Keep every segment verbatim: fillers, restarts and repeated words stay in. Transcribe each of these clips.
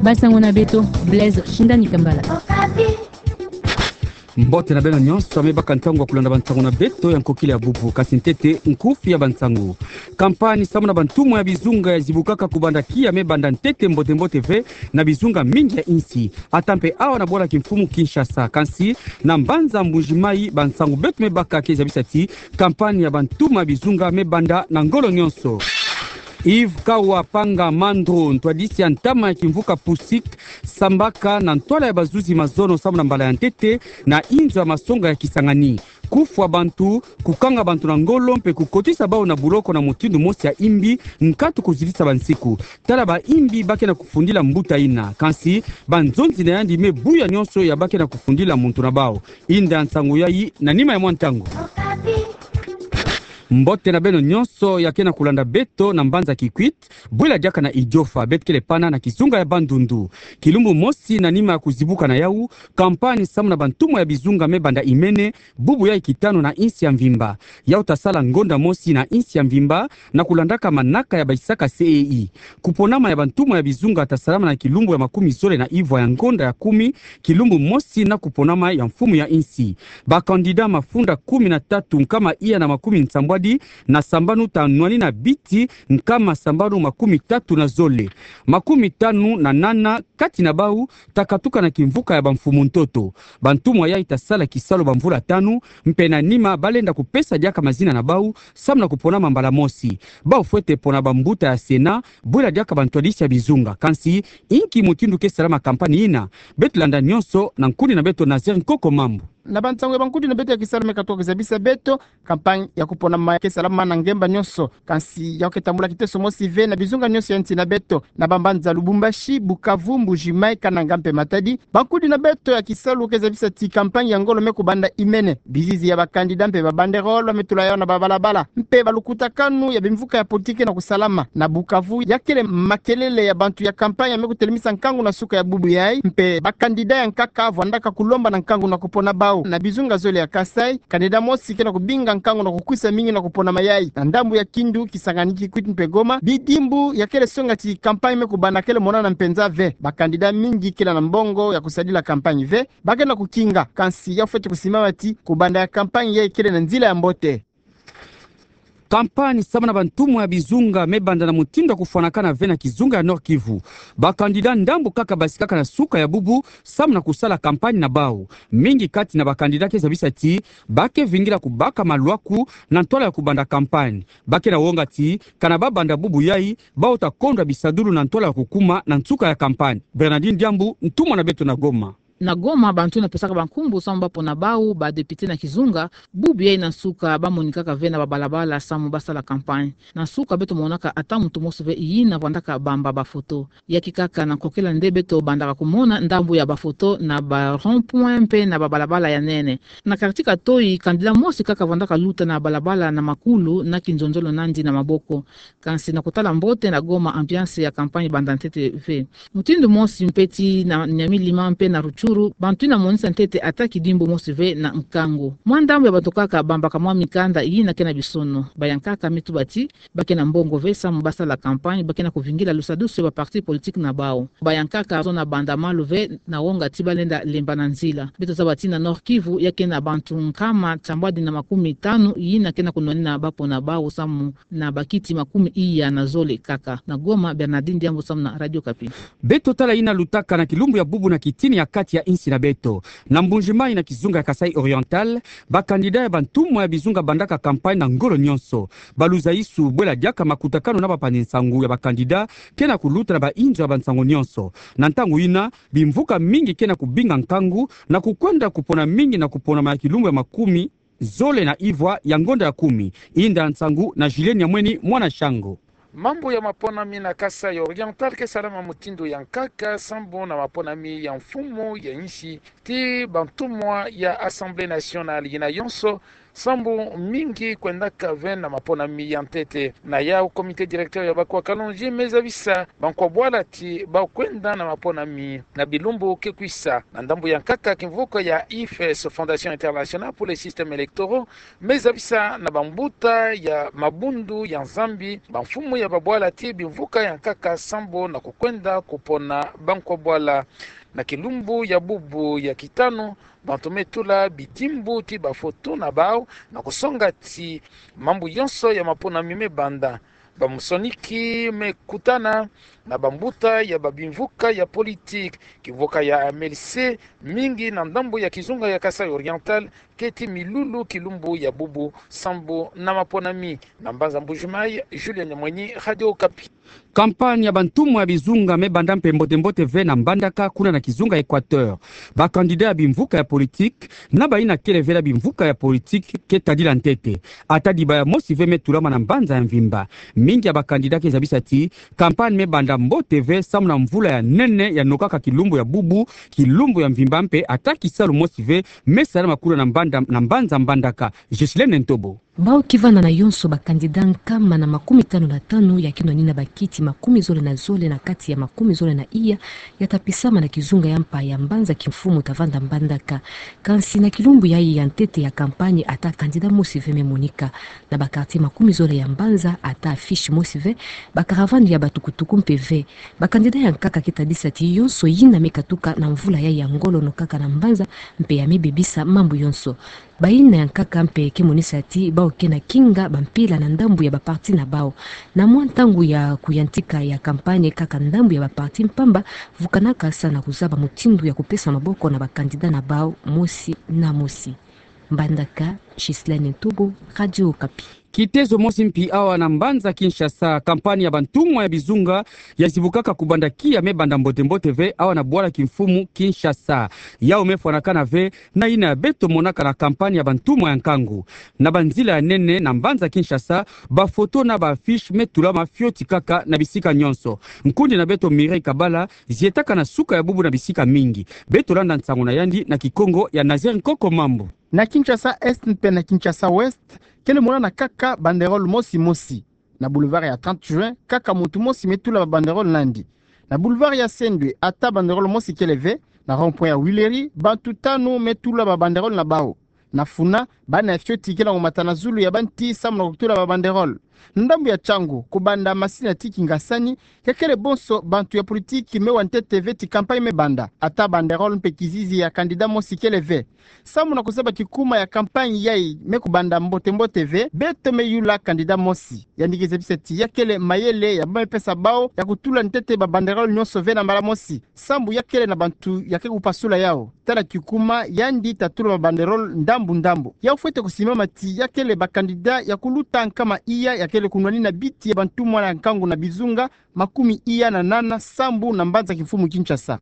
Bansango na beto, Blaise Shindani Kambala. Mbote na beno nyonso, me baka ntangu ya kulanda bansango na beto ya nkokila ya bubu, kasi ntete nkufi ya bansango. Kampanye samu na bantumwa ya bizunga yazibukaka kubanda kiya me banda ntete mbote-mbote ve na bizunga mingi ya insi, ata mpe awa na bwala kimfumu Kinshasa, kasi na mbanza Mbuji-Mayi, bansango beto me baka ke zabisa ti kampanye ya bantumwa ya bizunga me banda na ngolo nyonso. Yves Kawa Panga Mandro, ntwadisi ya ntama ya kimvuka PUSIC, sambaka na ntwala ya bazuzi mazono samu na mbala ya ntete na inzo ya masonga ya Kisangani. Kufwa bantu, kukanga bantu na ngolo mpe kukotisa bau na buloko na mutindu mosi ya imbi, nkatu kuzitisa bansiku. Tala bayimbi ba ke na kufundila mbuta yina, kasi banzonzi na yandi me buya nyonso ya ba ke na kufundila muntu na bau. Yinda nsangu yayi na nima ya mwa ntangu. Mbote na beno nyonso ya ke na kulanda beto na mbanza Kikwit, bwela diaka na Idiofa, beto kele pana na kizunga ya Bandundu. Kilumbu mosi na nima ya kuzibuka na yau, kampanye samu na bantumwa ya bizunga me banda imene, bubu yayi kitanu na insi ya mvimba. Yau ta sala ngonda mosi na insi ya mvimba, na kulandaka manaka ya baisaka C E I. Kuponama ya bantumwa ya bizunga ta salama na kilumbu ya makumi zole na ivwa ya ngonda ya kumi, kilumbu mosi na kuponama ya mfumu ya insi. Bakandida mafunda kumi na tatu nkama iya na makumi nsambwadi na sambanu ta nwanina biti nkama sambanu makumi tatu na zole. Makumi tanu na nana kati na bau ta katuka na kimvuka ya bamfumu ntoto. Bantumwa yayi ta sala kisalu bamvula tanu, mpe na nima ba lenda kupesa diaka mazina na bau, samu na kuponama mbala mosi. Bau fwete pona bambuta ya Sénat, bwela diaka bantwadisi ya bizunga. Kasi, inki mutindu ke salama kampanye yina? Beto landa nyonso na nkuni na beto Nazaire Nkoko Mambu. Na bansangu ya bankudi na beto ya kisalu me katuka kuzabisa beto, kampanye ya kuponama ke salama na ngemba nyonso. Kasi, yau ke tambula kiteso mosi ve na bizunga nyonso ya nsi na beto, na bambanza Lubumbashi, Bukavu, Mbuji-Mayi, Kananga mpe Matadi. Bankudi na beto ya kisalu ke zabisa ti kampanye ya ngolo me kubanda imene. Bizizi ya bakandida mpe babanderole ba me tula yau na babalabala. Mpe balukutakanu ya bimvuka ya politiki na kusalama. Na Bukavu, ya kele makelele ya bantu ya kampanye ya me kutelemisa nkangu na suka ya bubu yayi. Mpe bakandida ya nkaka vwandaka kulomba na nkangu na kupona bau. Na bizunga zole ya Kasaï, kandida mosi ke na kubinga nkangu na kukwisa mingi na kuponama yayi. Na ndambu ya Kindu, Kisangani, Kikwit mpe Goma, bidimbu ya kele songa ti kampanye me kubanda kele monana mpenza ve. Bakandida mingi kele na mbongo ya kusadila kampanye ve. Ba ke na kukinga, kasi yau fwete kusimama ti kubanda ya kampanye yayi kele na nzila ya mbote. Kampanye samu na bantumwa ya bizunga me banda na mutindu ya kufwanakana ve na kizunga ya Nord-Kivu. Bakandida ndambu kaka basikaka na suka ya bubu samu na kusala kampanye na bau. Mingi kati na bakandida ke zabisa ti ba ke vingila kubaka malwaku na ntwala ya kubanda kampanye. Ba ke na wonga ti, kana ba banda bubu yayi, bau ta kondwa bisadulu na ntwala ya kukuma na nsuka ya kampanye. Bernardine Diambu, ntumwa na beto na Goma. Na Goma, bantu na pesaka bankumbu samu ba pona bau badepite na kizunga, bubu yayi na nsuka ba monikaka ve na babalabala samu ba sala kampanye. Na nsuka beto monaka ata muntu mosi ve yina vwandaka bamba bafoto. Ya kikaka na nkokila nde beto bandaka kumona ndambu ya bafoto na ba rond-point mpe na babalabala ya nene. Na quartier Katoyi, kandida mosi kaka vwandaka luta na balabala na makulu na kinzonzolo na yandi na maboko. Kasi na kutala mbote na Goma, ambiance ya kampanye banda ntete ve. Mutindu mosi mpe ti na Nyamilima mpe na Rutshuru, bantu yina monisa ntete ata kidimbu mosi ve na nkangu. Mwa ndambu ya bantu kaka bambaka mwa mikanda yina ke na bisono. Bayankaka me tuba ti ba ke na mbongo ve samu ba sala kampanye, ba ke na kuvingila lusadusu ya ba parti politique na bau. Bayankaka zona banda malu ve na wonga ti ba lenda lemba na nzila. Beto zaba ti na Nord-Kivu ya ke na bantu nkama nsambwadi na makumi tanu yina ke na kunwanina ba pona bau samu na bakiti makumi iya na zole kaka. Na Goma, Bernardine Diambu samu na Radio Okapi. Beto tala yina lutaka na kilumbu ya bubu na kitini ya kati ya insi na beto. Na Mbuji-Mayi na kizunga ya Kasaï Oriental, bakandida ya bantumwa ya bizunga bandaka kampanye na ngolo nyonso. Baluzaisu bwela diaka makutakanu na bapanzi nsangu ya bakandida ke na kuluta na bainzo ya bansangu nyonso. Na ntangu yina, bimvuka mingi ke na kubinga nkangu na kukwenda kupona mingi na kuponama ya kilumbu ya makumi zole na ivwa ya ngonda ya kumi. Yinda nsangu na Julien Nyamweni, mwana Shango. Mambu ya maponami na Kasaï Oriental ke salama mutindu ya nkaka sambu na maponami ya mfumu ya insi, ti bantumwa ya Assemblée nationale yina yonso sambu mingi kwendaka ve na maponami ya ntete. Na yau, comité directeur ya Bakoa Kalonji me zabisa bankwa-bwala ti bakwenda na maponami na bilumbu ke kwisa. Na ndambu ya nkaka, kimvuka ya I F E S, Fondation Internationale pour les Systèmes Électoraux, me zabisa na bambuta ya mabundu ya Nzambi, bamfumu ya babwala ti bimvuka ya nkaka sambu na kukwenda kupona bankwa-bwala. Na kilumbu ya bubu ya kitanu, bantu me tula bidimbu ti bafoto na bau na kusonga ti mambu yonso ya maponami me banda. Bamusoniki me kutana na bambuta ya babimvuka ya politiki, kimvuka ya M L C mingi na ndambu ya kizunga ya Kasaï Oriental, keti milulu kilumbu ya bubu sambu na maponami. Na mbanza Mbuji-Mayi, Julien Nyamwenyi, Radio Okapi. Campagne ya bantumwa ya bizunga me banda mpe mbote-mbote ve na Mbandaka, kuna na kizunga Équateur. Bakandida ya bimvuka ya politiki na bayina kele ve na bimvuka ya politiki ke tadila ntete. Ata dibaya mosi ve me tulama na mbanza ya mvimba. Mingi ya bakandida ke zabisa ti campagne me banda mbote ve sambu na mvula ya nene ya nokaka kilumbu ya bubu, kilumbu ya mvimba mpe ata kisalu mosi ve me salama kuna na mbanda, na mbanza Mbandaka. Ghislaine Ntobo. Bau ke vanda na yonso bakandida nkama na makumi tanu na tanu ya ke nwanina bakiti makumi zole na zole na kati ya makumi zole na iya ya ta pisama na kizunga ya mpa ya mbanza kimfumu ta vanda Mbandaka. Kansi na kilumbu yayi ya ntete ya campagne, ata kandida mosi ve me monika. Na ba quartier makumi zole ya mbanza, ata affiche mosi ve, ba caravane ya batukutuku mpe ve. Bakandida ya nkaka ke tadisa ti yonso yina me katuka na mvula yayi ya ngolo nokaka na mbanza mpe ya me bebisa mambu yonso. Bayina ya nkaka mpe ke monisa ti bau ke na kinga bampila na ndambu ya baparti na bau. Na mwa ntangu ya kuyantika ya campagne, kaka ndambu ya baparti mpamba vukanaka sa na kuzaba mutindu ya kupesa maboko na bakandida na bau mosi na mosi. Mbandaka, Ghislaine Ntobo, Radio Okapi. Kitezo mosi mpi awa na mbanza Kinshasa, campagne ya bantumwa ya bizunga ya zibukaka kubanda kia me banda mbote-mbote ve awa na bwala kimfumu Kinshasa. Yau me fwanakana ve na yina ya beto monaka na campagne ya bantumwa ya nkangu. Na banzila ya nene na mbanza Kinshasa, bafoto na ba affiche me tulama fioti kaka na bisika nyonso. Nkundi na beto Mireille Kabala zietaka na suka ya bubu na bisika mingi. Beto landa nsangu na yandi na Kikongo ya Nazaire Nkoko Mambu. Na Kinshasa Est mpe na Kinshasa Ouest, kele monana kaka banderole mosi mosi. Na boulevard ya trente juin, kaka muntu mosi me tula ba banderole na yandi. Na boulevard ya Sendwe, ata banderole mosi kele ve. Na rond-point ya Huileries, bantu tanu me tula ba banderole na bau. Na Funa, bana ya fioti kele ngo mata na zulu ya banti sambu na kutula ba banderole. Na ndambu ya Tshangu, kubanda masina ti kingasani, ya kele bonso bantu ya politiki me wa ntete ve ti campagne me banda. Ata banderole mpe kizizi ya candidat mosi kele ve. Sambu na kuzaba kikuma ya campagne yayi me kubanda mbote-mbote ve, beto me yula candidat mosi. Yandi ke zabisa ti ya kele mayele ya ba me pesa bau ya kutula ntete ba banderole nyonso ve na mbala mosi, sambu ya kele na bantu ya ke kupasula yau. Tala kikuma yandi ta tula ba banderole ndambu-ndambu. Yau fwete kusimama ti ya kele ba candidat ya kuluta nkama iya ya kele kunwanina biti ya bantumwa ya nkangu na bizunga makumi iya na nana sambu na mbanza kimfumu Kinshasa.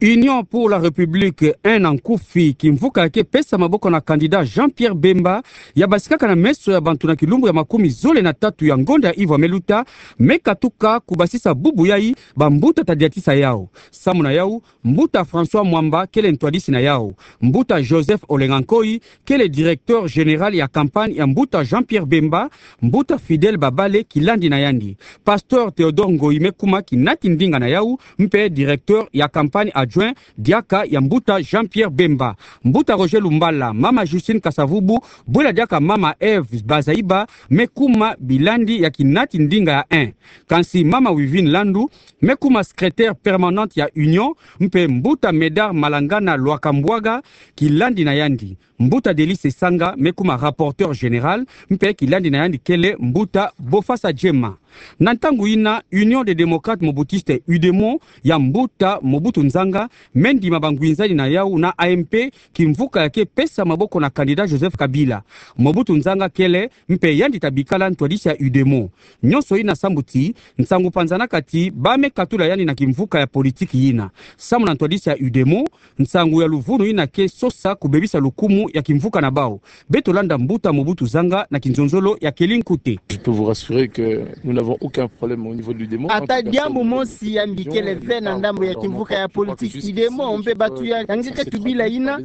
Union pour la République un na nkufi, kimvuka ya ke pesa maboko na candidat Jean-Pierre Bemba, ya basikaka na meso ya bantu na kilumbu ya makumi zole na tatu ya ngonda ya ivo me luta, me katuka kubasisa bubu yayi bambuta ta diatisa yau. Sambu na yau, mbuta François Mwamba kele ntwadisi na yau. Mbuta Joseph Olenga Nkoyi kele directeur général ya campagne ya mbuta Jean-Pierre Bemba, mbuta Fidèle Babale kilandi na yandi. Pasteur Théodore Ngoyi me kuma kinati ndinga na yau, mpe directeur ya campagne adjoint diaka ya mbuta Jean-Pierre Bemba. Mbuta Roger Lumbala, mama Justine Kasavubu, bwela diaka mama Eve Bazaiba, me kuma bilandi ya kinati ndinga ya un. Kansi mama Wivine Landu me kuma secrétaire permanente ya Union, mpe mbuta Médard Malangana Lwakambwaga kilandi na yandi. Mbuta Delice Sanga me kuma rapporteur général, mpe kilandi na yandi kele mbuta Bofasa Djema. Na ntangu yina, Union des Démocrates Mobutistes, UDEMO, ya mbuta Mobutu Nzanga, me ndima bangwinzani na yau na A M P, kimvuka ya ke pesa maboko na candidat Joseph Kabila. Mobutu Nzanga kele, mpe yandi ta bikala ntwadisi ya UDEMO. Nyonso yina sambu ti nsangu panzanaka ti ba me katula yandi na kimvuka ya politiki yina. Sambu na ntwadisi ya UDEMO, nsangu ya luvunu yina ke sosa kubebisa lukumu ya kimvuka na bau. Beto landa mbuta Mobutu Zanga na kinzonzolo ya Kelly Nkute. Je peux vous rassurer que nous n'avons aucun problème au niveau de l'Udemo. Ata diambu mosi ya mbi kele ve na ndambu ya kimvuka ya politiki Udemo mpe batu ya nge ke tubila yina.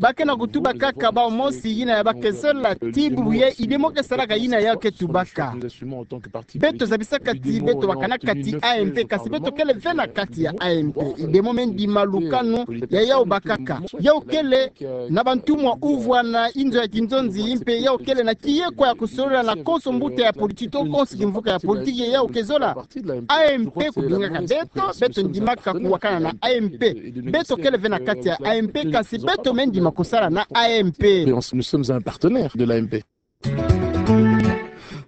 Ba ke na kutuba kaka bau mosi yina ya ba ke zola, ti bubu ye Udemo ke salaka yina ya ke tubaka. Beto zabisaka ti beto bakanaka ti A M P, kasi beto kele ve na kati ya A M P. Udemo me ndima lukanu ya yau bakaka. Yau kele na bantumwa uvwa na inzo ya kinzonzi, mpe yau kele na kiyekwa ya kusolola na konso mbuta ya politiki, to konso kimvuka ya politiki ye yau ke zola. A M P kudungaka beto, beto ndimaka kuwakana na A M P. Beto kele ve na kati ya A M P, kasi beto me ndima kusala na A M P. Nous sommes un partenaire de l'A M P.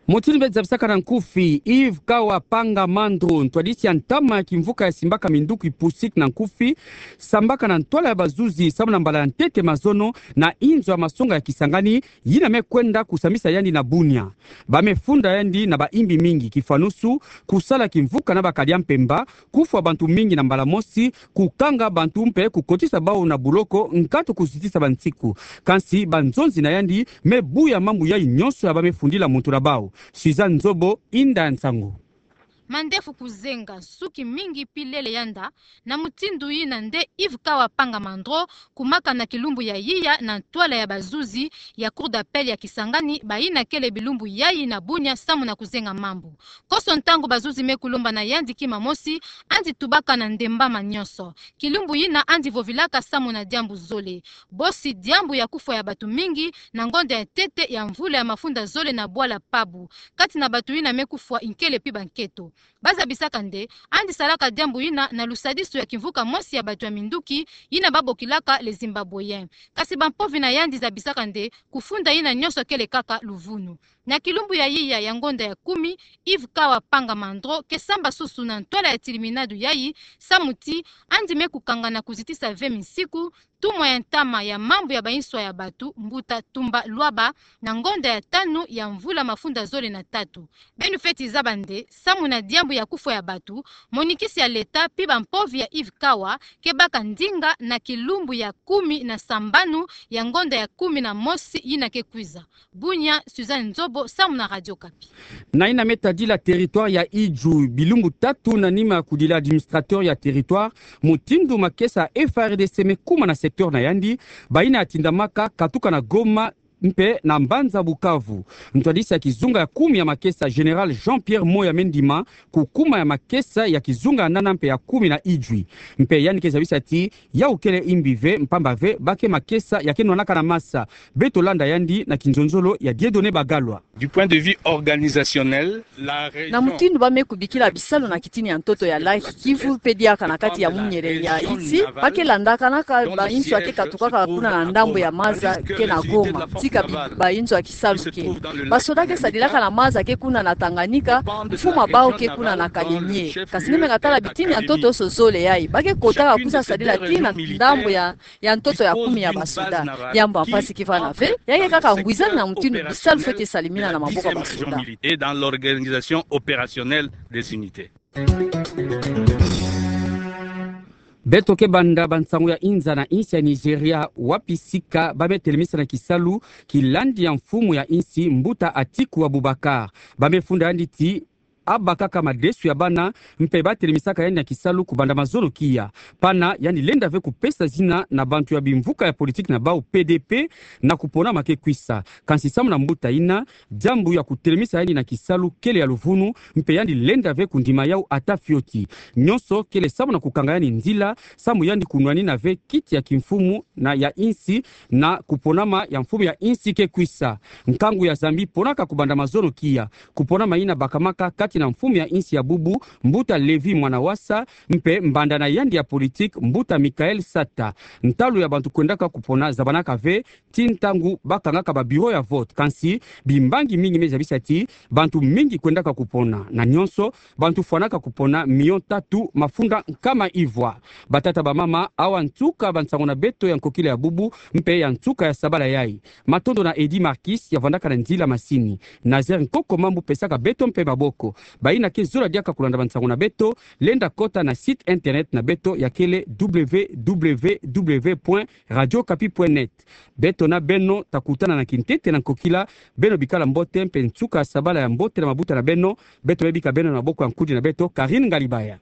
Mutindu mbe zabisaka na nkufi, Yves Kawa Panga Mandro, ntwadisi ya ntama ya kimvuka ya simbaka minduki PUSIC na nkufi, sambaka na ntwala ya bazuzi samu na mbala ya ntete mazono na inzo ya masonga ya Kisangani, yina me kwenda kusambisa yandi na Bunia. Ba me funda yandi na bayimbi mingi, kifanusu, kusala kimvuka na bakadi ya mpemba, kufwa bantu mingi na mbala mosi, kukanga bantu mpe kukotisa bau na buloko, nkatu kuzitisa bansiku. Kansi banzonzi na yandi me buya mambu yai nyonso ya ba me fundila muntu na bau. Suzanne Nzobo, inda ya nsangu. Mandefu kuzenga, nsuki mingi pi lele yanda, na mutindu yina nde Yves Kawa Panga Mandro, kumaka na kilumbu ya yiya na ntwala ya bazuzi ya Cour d'appel ya Kisangani, bayina kele bilumbu yai na Bunia samu na kuzenga mambu. Konso ntangu bazuzi me kulomba na yandi kima mosi, andi tubaka na ndembama nyonso. Kilumbu yina andi vovilaka samu na diambu zole. Bosi diambu ya kufwa ya batu mingi na ngonda ya ntete ya mvula ya mafunda zole na bwala Pabu. Kati na batu yina me kufwa, nkele pi banketo. Ba zabisaka nde andi salaka diambu yina na lusadisu ya kimvuka mosi ya batu ya minduki, yina ba bokilaka les Zimbabwéens. Kasi bampovi na yandi zabisaka nde kufunda yina nyonso kele kaka luvunu. Na kilumbu ya yiya ya ngonda ya kumi, Yves Kawa Panga Mandro ke samba susu na ntwala ya tiliminadu yai, samu ti andi me kukanga na kuzitisa ve minsiku, ntumwa ya ntama ya mambu ya bainswa ya batu, mbuta Tumba Luaba, na ngonda ya tanu ya mvula mafunda zole na tatu. Beno fweti zaba nde, samu na diambu ya kufwa ya batu, monikisi ya leta pi bampovi ya Yves Kawa ke baka ndinga na kilumbu ya kumi na sambanu ya ngonda ya kumi na mosi yina ke kwiza. Bunia, Suzanne Nzobo, samu na Radio Okapi. Na yina me tadila territoire ya Idjwi, bilumbu tatu na nima ya kudila administrateur ya territoire, mutindu makesa F A R D C me kuma na secteur na yandi, bayina ya tindamaka katuka na Goma mpe na mbanza Bukavu. Ntwadisi ya kizunga ya kumi ya makesa, Général Jean-Pierre Moya, me ndima kukuma ya makesa ya kizunga ya nana mpe ya kumi na Idjwi. Mpe yandi ke zabisa ti yau kele yimbi ve, mpamba ve ba ke makesa ya ke nwanaka na masa. Beto landa yandi na kinzonzolo ya Dieudonné Bagalwa. Du point de vue organisationnel, la région... Na mutindu ba me kubikila bisalu na kitini ya ntoto ya Lac Kivu, pe diaka na kati ya munyele ya isi, ba ke landakanaka bainzo ya ke katukaka kuna na ndambu ya maza ke na Goma, tika bi-, bainzo ya kisalu ke. Basoda ke sadilaka na maza ke kuna na Tanganyika, mfumu ya bau ke kuna na Kalemie. Kasi ni me katala bitini ya ntoto so zole yai, ba ke kotaka kusa sadila tii na ndambu ya, ya ntoto ya kumi ya basoda. Diambu ya mpasi ke vana ve, ya ke kaka ngwizani na mutindu bisalu fweti salimina na maboko ya basoda. Et dans l'organisation opérationnelle des unités. Beto ke banda bansangu ya inza na insi ya Nigeria, wapi sika ba me telemisa na kisalu kilandi ya mfumu ya insi, mbuta Atiku Abubakar. Ba me funda yandi ti abakaka madesu ya bana, mpe ba telemisaka yandi na kisalu kubanda mazono kia. Pana yandi lenda ve kupesa zina na bantu ya bimvuka ya politiki na bau P D P na kuponama ke kwisa. Kansi samu na mbuta yina, diambu ya kutelemisa yandi na kisalu kele ya luvunu, mpe yandi lenda ve kundima yau ata fioti. Nyonso kele samu na kukanga yandi nzila, samu yandi kunwanina ve kiti ya kimfumu na ya insi, na kuponama ya mfumu ya insi ke kwisa. Nkangu ya Zambie ponaka kubanda mazono kia. Kuponama yina bakamaka kati na mfumu ya insi ya bubu, mbuta Lévy Mwanawasa, mpe mbanda na yandi ya politiki, mbuta Michaël Sata. Ntalu ya bantu kwendaka kupona zabanaka ve, tii ntangu ba kangaka ba bureau ya vote. Kansi bimbangi mingi me zabisa ti bantu mingi kwendaka kupona. Na nyonso, bantu fwanaka kupona million tatu mafunda nkama ivwa. Batata, bamama, awa nsuka bansangu na beto ya nkokila ya bubu, mpe ya nsuka ya sabala yai. Matondo na Eddy Marquis ya vandaka na nzila masini. Nazaire Nkoko Mambu pesaka beto mpe maboko. Bayina ke zola diaka kulanda bansango na beto, lenda kota na site internet na beto ya kele www point radiokapi point net. Beto na beno takutana na kintete na nkokila. Beno bikala mbote mpe nsuka sabala ya mbote na mabuta na beno. Beto me bika beno na maboko ya nkudi na beto, Karine Ngalibaya.